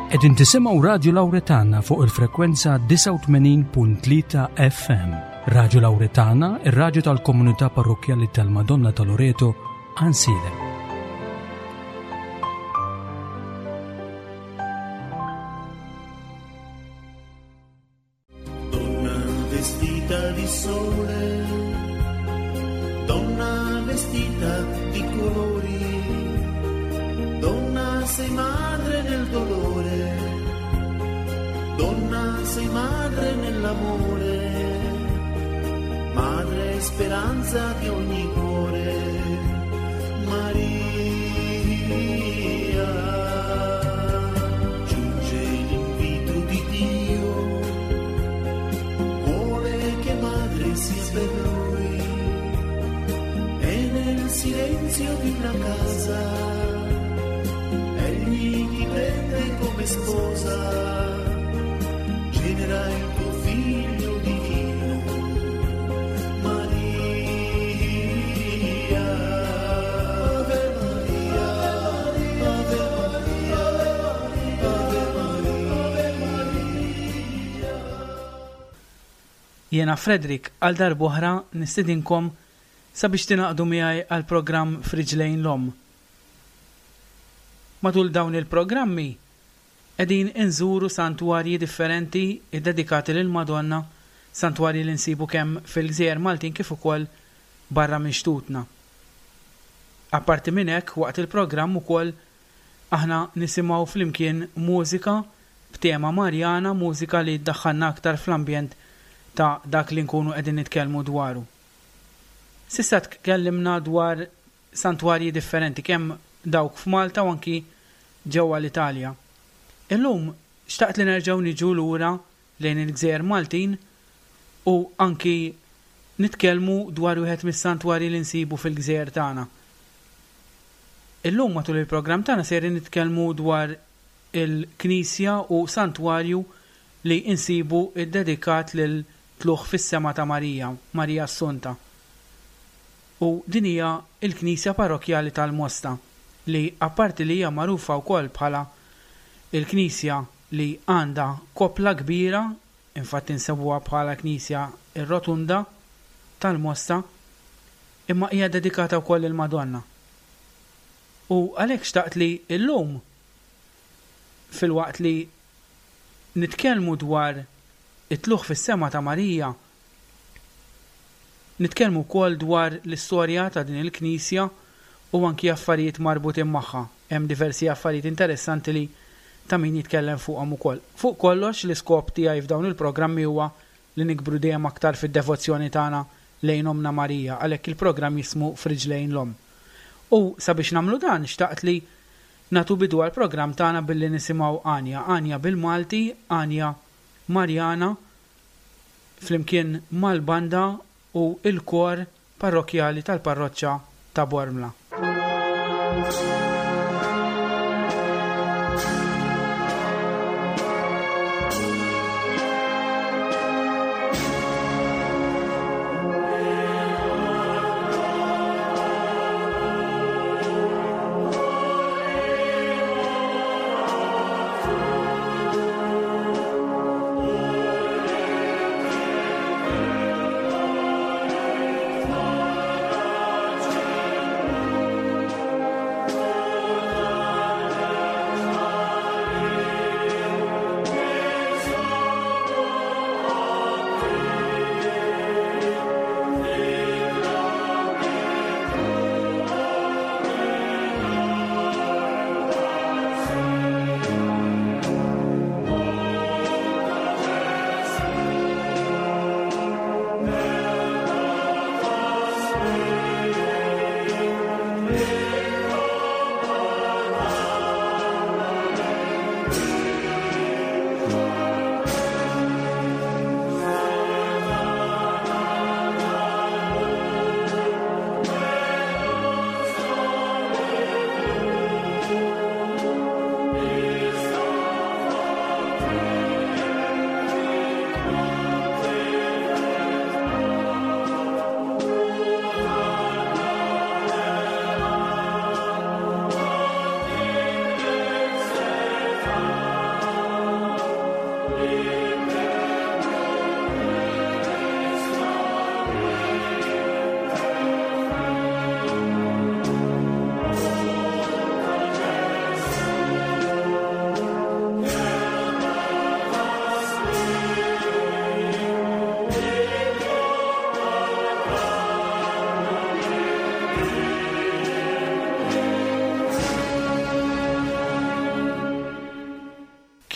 Qegħdin tisimgħu Radju Lawretana fuq il-frekwenza 89.3 FM. Radju Lawretana, ir-radju tal-komunità parrokkjali tal-Madonna ta' Loreto, Ansiedem. Donna vestita di sole, donna vestita di colori, donna sei madre nel dolore, donna sei madre nell'amore, madre speranza di ogni cuore, Maria. Giunge l'invito di Dio, vuole che madre sia per lui e nel silenzio di una casa egli ti prende come sposa, genera il tuo figlio divino, Maria. Ave Maria, Ave Maria, Ave Maria. Jiena Frederick għal darb'oħra nistedinkom sabiex tingħaqdu miegħi għall-programm F'Riġlejn l-Omm. Matul dawn il-programmi qegħdin inżuru santwarji differenti ddedikati lill-Madonna, santwarji li nsibu kemm fil-gżejjer Maltin kif ukoll barra minn xtutna. Apparti minn hekk waqt il-programm ukoll aħna nisimgħu flimkien mużika b'tema Marjana, mużika li ddaħħalna aktar fl-ambjent ta' dak li nkunu qegħdin nitkellmu dwaru. S'issa tkellimna dwar santwarji differenti kemm dawk f'Malta u anki ġewwa l-Italja. Illum xtaqt li nerġgħu niġu lura lejn il-gżejjer Maltin u anki nitkellmu dwar wieħed mis-santwarji li nsibu fil-gżejjer tagħna. Illum matul il-programm tagħna sejrin nitkellmu dwar il-knisja u santwarju li nsibu ddedikat lil Tlugħ fis-Sema ta' Marija, Marija Assunta. U din hija l-knisja parrokkjali tal-Mosta li apparti li hija magħrufa wkoll bħala l-knisja li għandha koppla kbira, infatti nsebuha bħala knisja r-Rotunda tal-Mosta, imma hija dedikata wkoll lill-Madonna. U għalhekk xtaqt li llum filwaqt li nitkellmu dwar it-tlugħ fis-sema ta' Marija, nitkellmu wkoll dwar l-istorja ta' din il-knisja u anki affarijiet marbutin magħha. Hemm diversi affarijiet interessanti li ta' min jitkellem fuqhom ukoll. Fuq kollox l-iskop tiegħi f'dawn il-programmi huwa li nikbru dejjem aktar fid-devozzjoni tagħna lejn Ommna Marija, għalhekk il-programm jismu F'Riġlejn l-Omm. U sabiex nagħmlu dan xtaqt li nagħtu bidu għall-programm tagħna billi nisimgħu għanja, għanja bil-Malti, għanja Marjana flimkien mal-banda u l-kor parrokkjali tal-parroċċa ta' Bormla.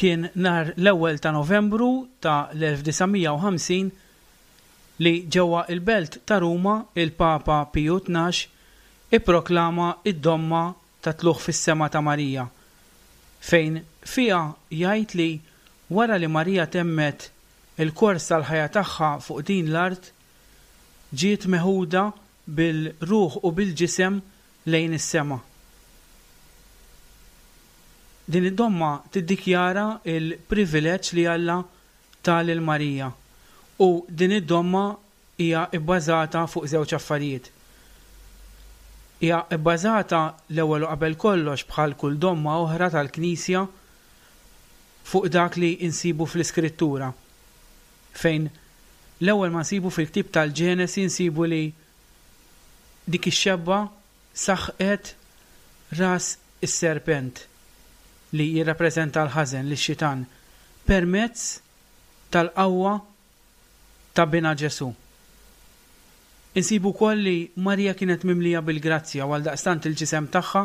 Kien nhar l-ewwel ta' Novembru ta' l-1950 li ġewwa il-belt ta' Ruma il-Papa Piju 12 ipproklama d-domma ta' tlugħ fis-sema ta' Marija, fejn fiha jgħid li wara li Marija temmet il-kors tal-ħajja tagħha fuq din l-art, ġiet meħuda bil-ruħ u bil-ġisem lejn is-sema. Din id-domma tiddikjara l-privileġġ li Alla ta lil Marija u din id-domma hija bbażata fuq żewġ affarijiet. Hija bbażata l-ewwel u qabel kollox bħal kull domma oħra tal-Knisja fuq dak li nsibu fl-Iskrittura, fejn l-ewwel ma nsibu fil-ktieb tal-Ġenesi nsibu li dik ix-xebba saħqet ras is-serpent li jirrappreżenta l-ħażen, lix-xitan, permezz tal-qawwa ta' Binha Ġesù. Insibu wkoll li Marija kienet mimlija bil-grazzja u għaldaqstant il-ġisem tagħha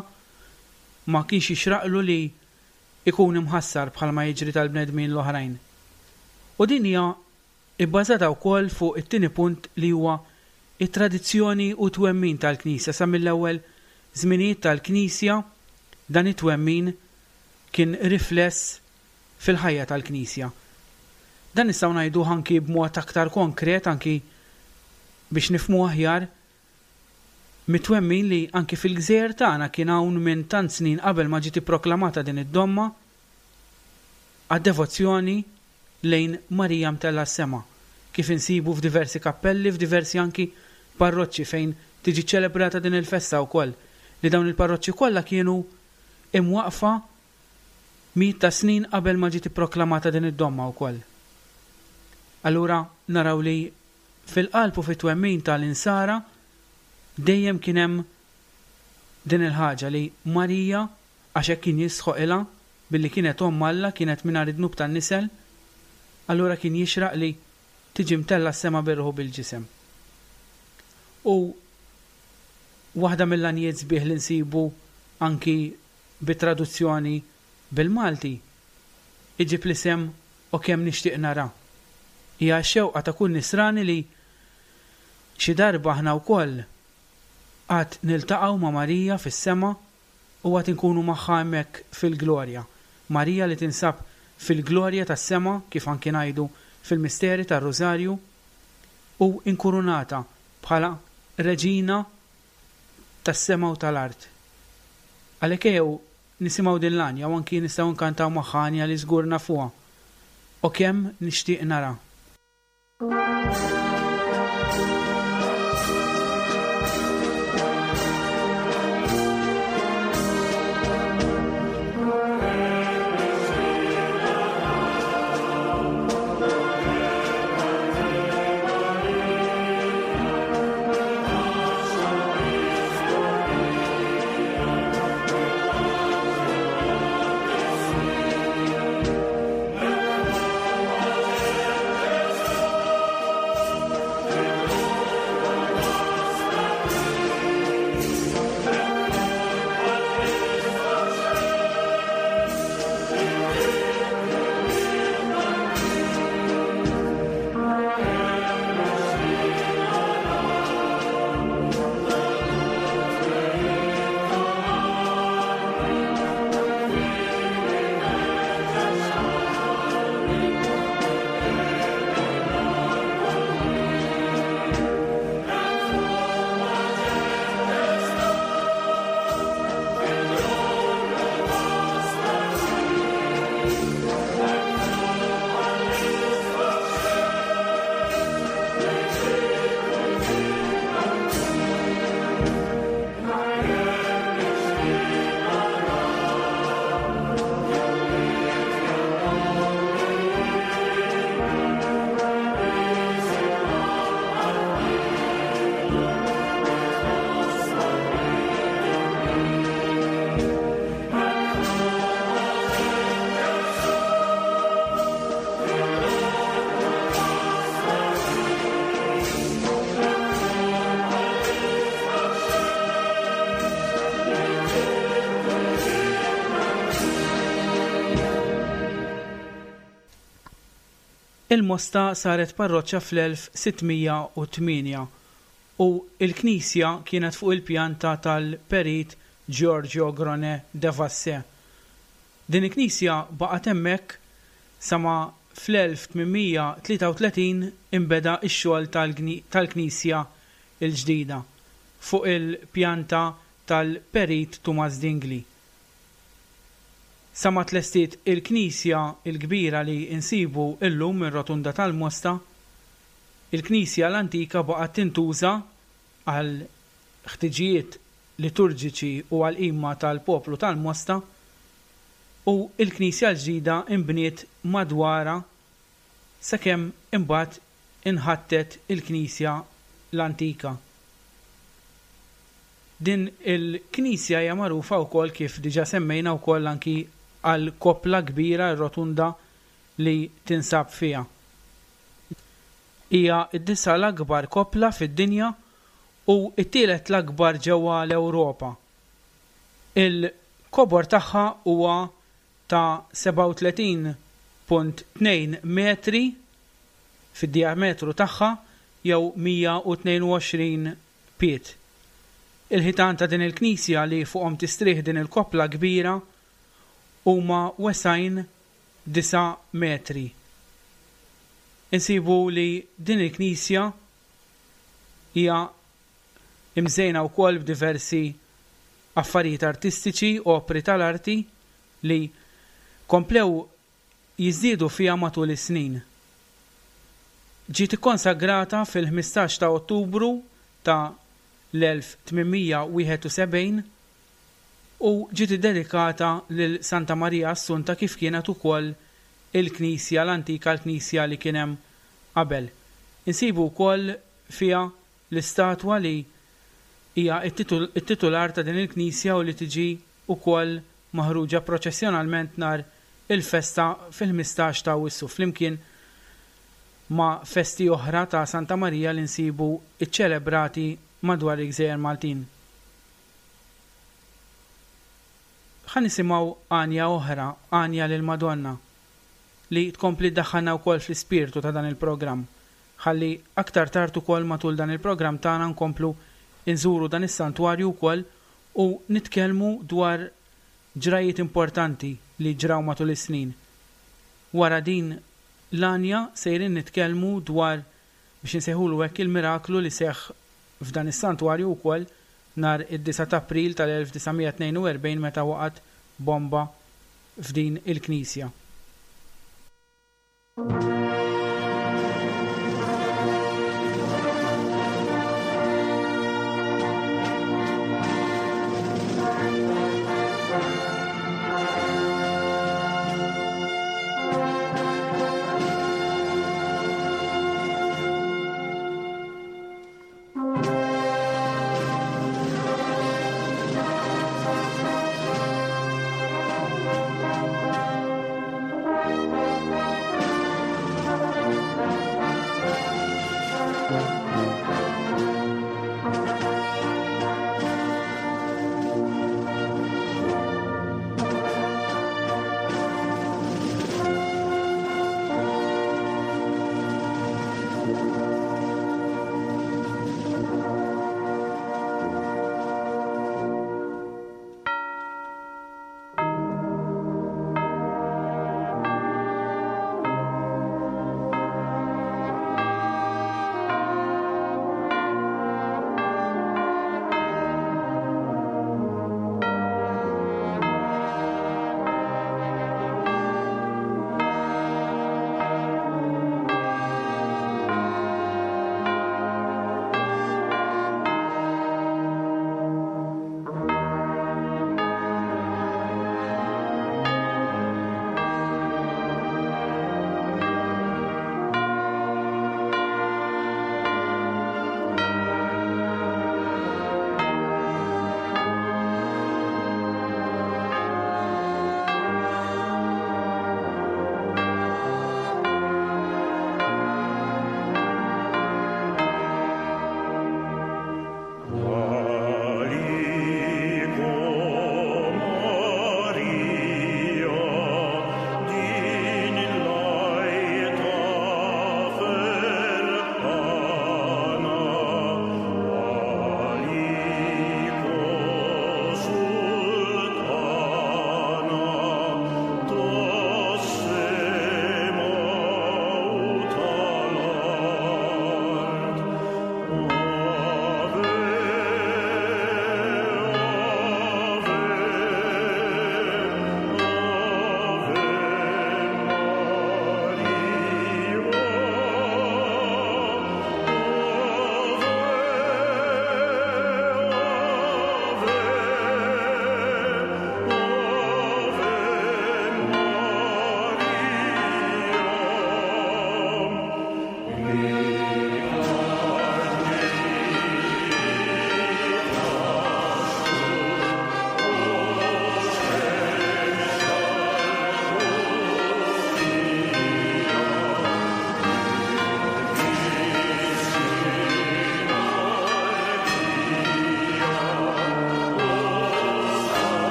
ma kienx jixraqlu li jkun imħassar bħalma jiġri tal-bnedmin l-oħrajn. U din hija bbażata wkoll fuq it-tieni punt li huwa t-tradizzjoni u t-twemmin tal-Knisja. Sa mill-ewwel żminijiet tal-Knisja dan it-twemmin kien rifless fil-ħajja tal-Knisja. Dan nistgħu ngħiduh anki b'mod aktar konkret anki biex nifhmu aħjar mit-twemmin li anki fil-gżejjer tagħna kien hawn minn tant snin qabel ma ġiet ipproklamata din id-domma għad-devozzjoni lejn Marija Mtellgħa s-Sema, kif insibu f'diversi kappelli, f'diversi anki parroċċi fejn tiġi ċċelebrata din il-festa wkoll, li dawn il-parroċċi kollha kienu imwaqqfa mijiet ta' snin qabel ma ġiet ipproklamata din id-domma wkoll. Allura naraw li fil-qalb u fit-twemmin ta' l-Insara dejjem kien hemm din il-ħaġa li Marija, għax hekk kien jistħoqilha, billi kienet Omm Alla, kienet mingħajr id-dnub tan-nisel, allura kien jixraq li tiġi mtellgħa s-sema bir-ruħ u bil-ġisem. U waħda mill-għanjiet sbieħ li nsibu anki bi traduzzjoni bil-Malti, iġib l-isem O kemm nixtieq nara. Hija x-xewqa ta' kull Nisrani li xi darba aħna wkoll għad niltaqgħu ma' Marija fis-sema u għad inkunu magħha hemmhekk fil-glorja. Marija li tinsab fil-glorja tas-sema, kif anki ngħidu fil-misteri tar-Rużarju, u inkurunata bħala Reġina tas-sema u tal-art. Għalhekk ejjew nisimgħu din l-għanja u anki nistgħu nkantaw magħha għanja li żgur nafuha, O kemm nixtieq nara. Il-Mosta saret parroċċa fl-1608 u l-knisja kienet fuq il-pjanta tal-Perit Giorgio Gronet de Vassé. Din il-knisja baqgħet hemmhekk sa ma fl-1833 inbeda x-xogħol tal-knisja l-ġdida fuq il-pjanta tal-Perit Tumas Dingli. Sa ma tlestiet il-knisja l-kbira li nsibu llum ir-Rotunda tal-Mosta, il-knisja l-antika baqgħet tintuża għal ħtiġijiet liturġiċi u għall-qima tal-poplu tal-Mosta u l-knisja l-ġdida nbniet madwarha sakemm imbagħad inħattet il-knisja l-antika. Din il-knisja hija magħrufa wkoll kif diġà semmejna wkoll anki għall-koppla kbira r-rotunda li tinsab fiha. Hija d-disa' l-akbar koppla fid-dinja u t-tielet l-akbar ġewwa l-Ewropa. Il-kobor tagħha huwa ta' 37.2 metri fid-dijametru tagħha jew 122 pied. Il-ħitan ta' din il-knisja li fuqhom tistrieħ din il-koppla kbira huma wesgħin disa' metri. Insibu li din il-knisja hija imżejna wkoll b'diversi affarijiet artistiċi, opri tal-arti li komplew jiżdiedu fiha matul is-snin. Ġiet ikkonsagrata fil-15 ta' Ottubru ta' l-1871 u ġiet iddedikata lil Santa Marija Assunta kif kienet ukoll il-knisja l-antika l-knisja li kien hemm qabel. Insibu wkoll fiha l-istatwa li hija t-titular ta' din il-knisja u li tiġi wkoll maħruġa proċessjonalment nhar il-festa fil-15 ta' Awwissu flimkien ma' festi oħra ta' Santa Marija li nsibu ċċelebrati madwar il-gżejjer Maltin. Ħa nisimgħu għanja oħra, għanja lill-Madonna, li tkompli ddaħħalna wkoll fl-ispirtu ta' dan il-programm, ħalli aktar tard ukoll matul dan il-programm tagħna nkomplu nżuru dan is-santwarju wkoll u nitkellmu dwar ġrajjiet importanti li ġraw matul is-snin. Wara din l-għanja sejrin nitkellmu dwar, biex insejħulu hekk, il-miraklu li seħħ f'dan is-santwarju wkoll nhar id-disgħa t'April tal-1942 meta waqgħet bomba f'din il-knisja.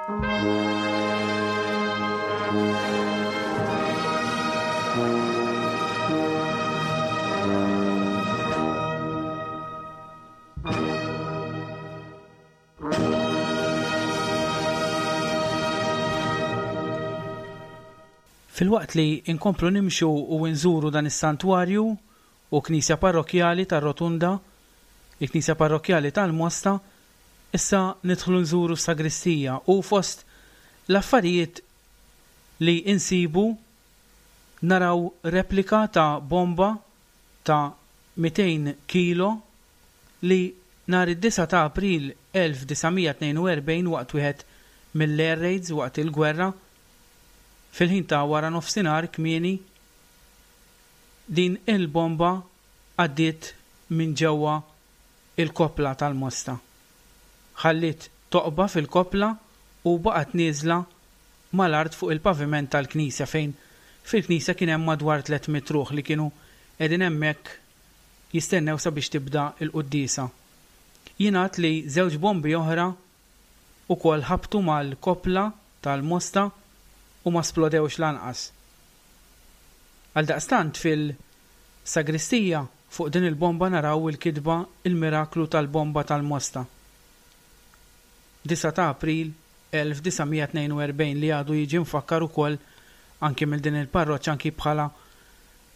Filwaqt li nkomplu nimxu u nżuru dan is-santwarju u knisja parrokkjali tar-Rotunda, il-knisja parrokkjali tal-Mosta, issa nidħlu nżuru s-sagristija u fost l-affarijiet li nsibu naraw replika ta' bomba ta' 200 kilo li nhar id-disgħa ta' April 1942 waqt wieħed mill-air raids waqt il-gwerra, fil-ħin ta' waranofsinhar kmieni, din il-bomba għaddiet minn ġewwa il-koppla tal-Mosta. Ħalliet toqba fil-koppla u baqgħet nieżla mal-art fuq il-paviment tal-knisja fejn fil-knisja kien hemm madwar 300 ruħ li kienu qegħdin hemmhekk jistennew sabiex tibda l-quddiesa. Jingħad li żewġ bombi oħra wkoll ħabtu mal-koppla tal-Mosta u ma splodewx lanqas. Għaldaqstant fil-sagristija fuq din il-bomba naraw il-kitba Il-Miraklu tal-Bomba tal-Mosta. 9 ta' April 1942 li għadu jiġi mfakkar ukoll anki mill din il-parroċċa anki bħala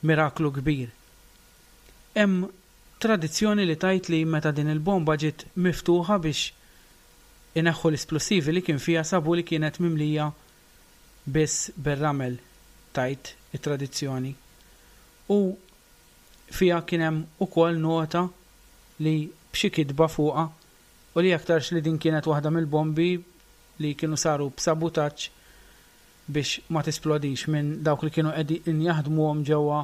miraklu kbir. Hemm tradizzjoni li tgħid li meta din il-bomba ġiet miftuħa biex ineħħu l-isplussivi li kien fiha sabu li kienet mimlija biss bir-ramel, tgħid it-tradizzjoni. U fiha kien hemm ukoll nota li b'xi kitba fuqha u li aktarx li din kienet waħda mill-bombi li kienu saru b'sabutaġġ biex ma tisplodix minn dawk li kienu qegħdin jaħdmuhom ġewwa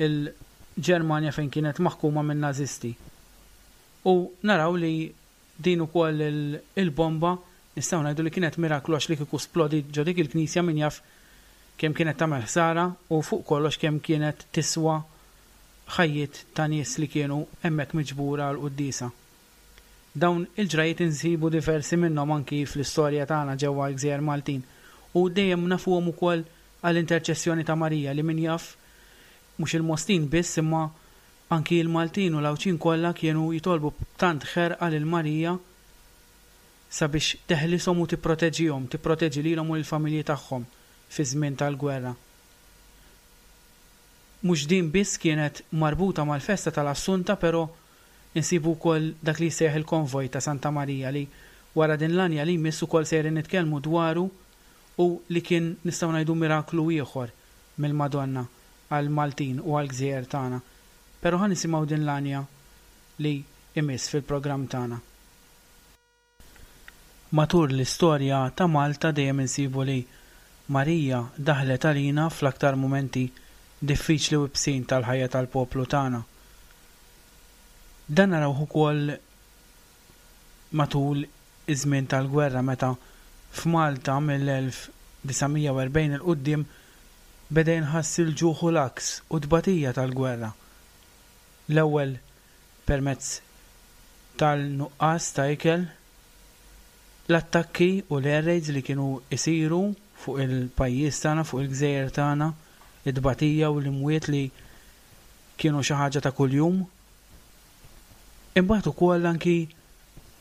l-Ġermanja fejn kienet maħkuma min-Nażisti. U naraw li din ukoll il-bomba nistgħu ngħidu li kienet miraklu għax li kieku splodiet ġo dik il-knisja min jaf kemm kienet tagħmel ħsara u fuq kollox kemm kienet tiswa ħajjiet ta' nies li kienu hemmhekk miġbura għall-quddiesa. Dawn il-ġrajjiet insibu diversi minnhom anki fl-istorja tagħna ġewwa l-gżejjer Maltin u dejjem nafuhom ukoll għall-interċessjoni ta' Marija li min jaf mhux il-Mostin biss imma anki l-Maltin u l-Għawdxin kollha kienu jitolbu b'tant ħerqa lil Marija sabiex teħlishom u tipproteġihom, tipproteġi lilhom u lill-familji tagħhom fiż-żmien tal-gwerra. Mhux din biss kienet marbuta mal-festa tal-Assunta però insibu wkoll dak li jissejjaħ il-konvoj ta' Santa Marija li wara din l-għanja li jmiss ukoll sejrin nitkellmu dwaru u li kien nistgħu ngħidu miraklu ieħor mill-Madonna għall-Maltin u għall-gżejjer tagħna. Però ħa nisimgħu din l-għanja li jmiss fil-programm tagħna. Matul l-istorja ta' Malta dejjem insibu li Marija daħlet għalina fl-aktar mumenti diffiċli u ibsin tal-ħajja tal-poplu tagħna. Dan narawh ukoll matul iż-żmien tal-gwerra meta f'Malta mill-1940 'il quddiem beda jinħass il-ġuħ u l-għaks u t-tbatija tal-gwerra. L-ewwel permezz tal-nuqqas ta' ikel, l-attakki u l-air raids li kienu jsiru fuq il-pajjiż tagħna, fuq il-gżejjer tagħna, it-tbatija u l-imwiet li kienu xi ħaġa ta' kuljum. Imbagħad ukoll anki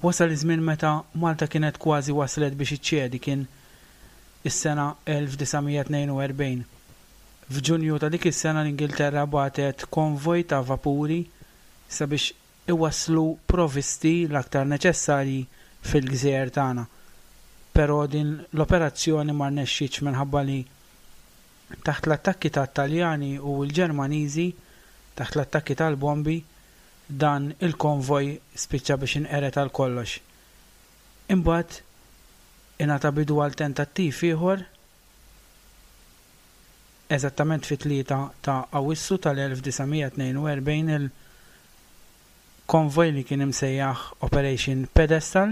wasal iż-żmien meta Malta kienet kważi waslet biex iċċedi, kien is-sena 1942. F'Ġunju ta' dik is-sena l-Ingilterra bagħtet konvoj ta' vapuri sabiex iwasslu provisti l-aktar neċessarji fil-gżejjer tagħna. Però din l-operazzjoni ma rnexxietx minħabba li taħt l-attakki tat-Taljani u l-Ġermaniżi, taħt l-attakki tal-bombi, dan il-konvoj spiċċa biex inqered għal kollox. Imbagħad ingħata bidu għal tentattiv ieħor Eżattament fit-3 ta' Awwissu tal-1942 il-konvoj li kien imsejjaħ Operation Pedestal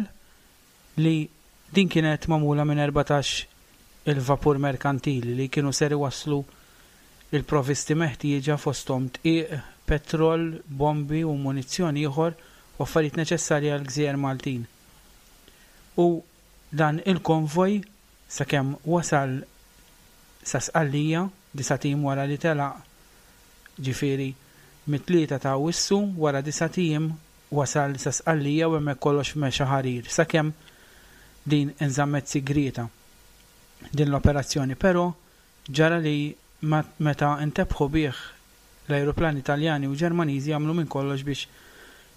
li din kienet magħmula minn 14 il-vapur merkantili li kienu ser iwasslu l-provisti meħtieġa fosthom dqiq, petrol, bombi u munizzjon ieħor u affarijiet neċessarji għall-gżejjer Maltin. U. Dan il-konvoj sakemm wasal sa Sqallija, disat ijiem wara li telaq, ġifieri mit-tlieta ta' Awwissu, wara disat ijiem wasal sa Sqallija u hemmhekk kollox mexa ħarir, sakemm din inżammet sigrieta din l-operazzjoni. Però ġara li meta ntebħu bih l-ajruplani Taljani u Ġermaniżi għamlu minn kollox biex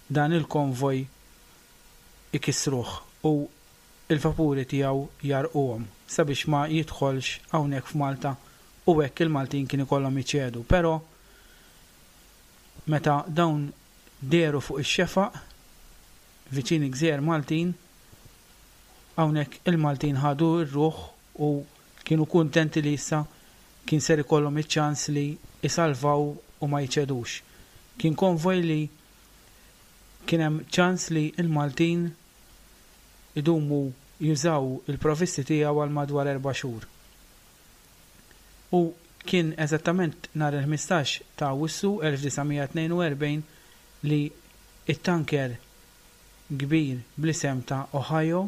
dan il-konvoj ikissruh u l-vapuri tiegħu jgħarrquhom sabiex ma jidħolx hawnhekk f'Malta u hekk il-Maltin kien ikollhom iċedu. Però meta dawn dehru fuq ix-xefaq viċin il-gżejjer Maltin, hawnhekk il-Maltin ħadu r-ruħ u kienu kuntenti li issa kien ser ikollhom iċ-ċans li jsalvaw u ma jċedux. Kien konvoj li kien hemm ċans li l-Maltin idumu jużaw il-provvisti tiegħu għal madwar erba' xhur. U kien eżattament nhar il-15 ta' Awwissu 1942 li t-tanker kbir bl-isem ta' Ohio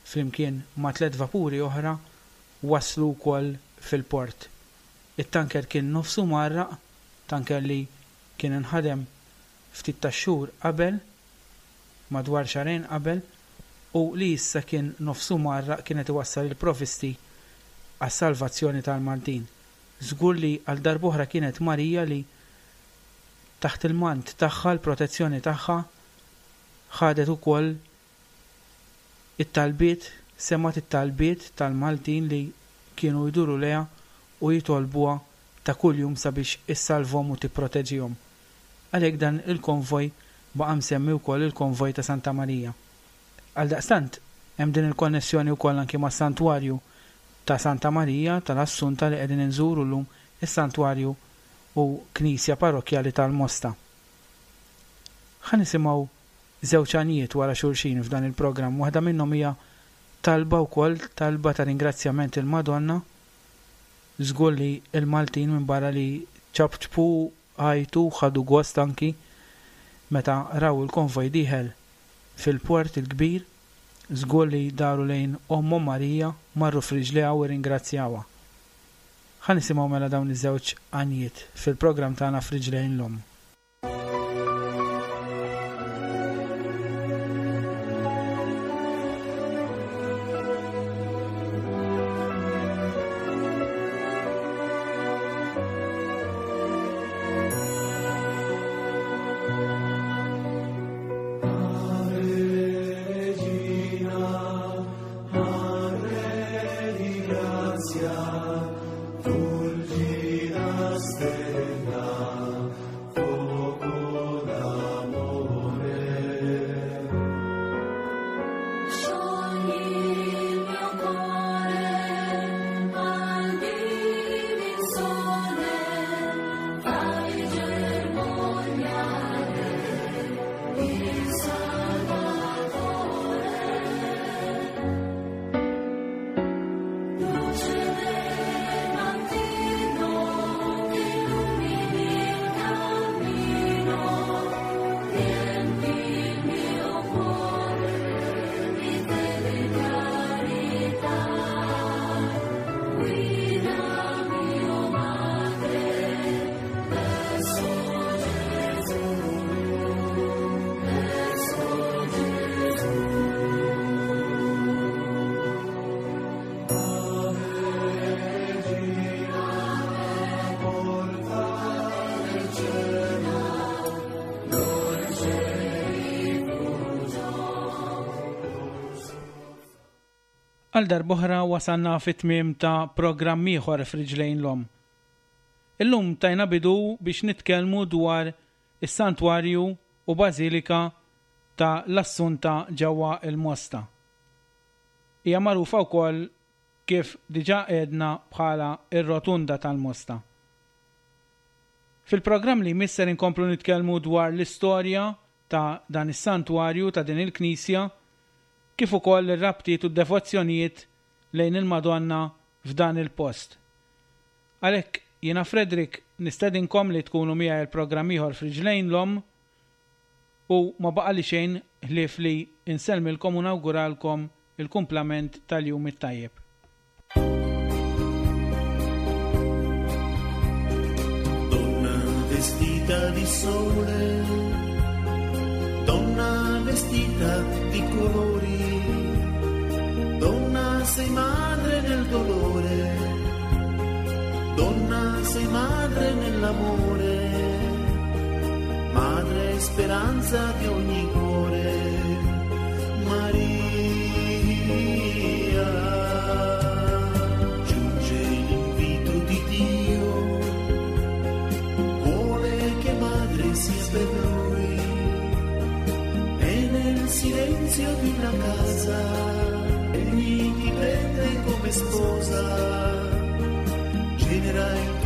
flimkien ma' tlett vapuri oħra waslu wkoll fil-port. It-tanker kien nofsu mgħarraq, tanker li kien inħadem ftit tax-xhur qabel, madwar xahrejn qabel, u li issa kien nofsu mgħarraq kien qed iwassal il-provvisti għas-salvazzjoni tal-Maltin. Żgur li għal darb'oħra kienet Marija li taħt il-mant tagħha, l-protezzjoni tagħha, ħadet ukoll it-talbiet, semgħet it-talbiet tal-Maltin li kienu jduru lejha u jitolbuha ta' kuljum sabiex issalvhom u tipproteġihom. Għalhekk dan il-konvoj baqa' msemmi wkoll il-Konvoj ta' Santa Marija. Għaldaqstant, hemm din il-konnessjoni wkoll anki mas-Santwarju ta' Santa Marija tal-Assunta li qegħdin inżuru llum, is-Santwarju u Knisja Parrokkjali tal-Mosta. Ħa nisimgħu żewġ għanjiet wara xulxin f'dan il-programm. Waħda minnhom hija talba wkoll, talba ta' ringrazzjament il-Madonna. Żgur li l-Maltin minbarra li ċapċpu, għajtu, ħadu gost anki meta raw il-konvoj dieħel fil-Port il-Kbir, żgur li daru lejn Ommhom Marija, marru f'riġlejha u rringrazzjawha. Ħa nisimgħu mela dawn iż-żewġ għanjiet fil-programm tagħna F'Riġlejn l-Omm. Għal darb'oħra wasalna fit-tmiem ta' programm ieħor f'Riġlejn l-Omm. Illum tajna bidu biex nitkellmu dwar is-Santwarju u Bażilika ta' l-Assunta ġewwa l-Mosta. Hija magħrufa wkoll kif diġà għedna bħala r-Rotunda tal-Mosta. Fil-programm li jmiss ser inkomplu nitkellmu dwar l-istorja ta' dan is-santwarju, ta' din il-knisja, kif ukoll ir-rabtiet u d-devozzjonijiet lejn il-Madonna f'dan il-post. Għalhekk jiena Frederick nistedinkom li tkunu miegħi għal programm ieħor f'Riġlejn l-Omm u ma baqali xejn ħlief li nsellmilkom u nawguralkom. il-kumplament tal-jum it-tajjeb. Donna vestita di sole, donna vestita di colori, donna sei madre nel dolore, donna sei madre nell'amore, madre speranza di ogni cuore, Maria. Giunge l'invito di Dio, vuole che madre sia per lui, e nel silenzio di una casa, egli ti prende come sposa, genera il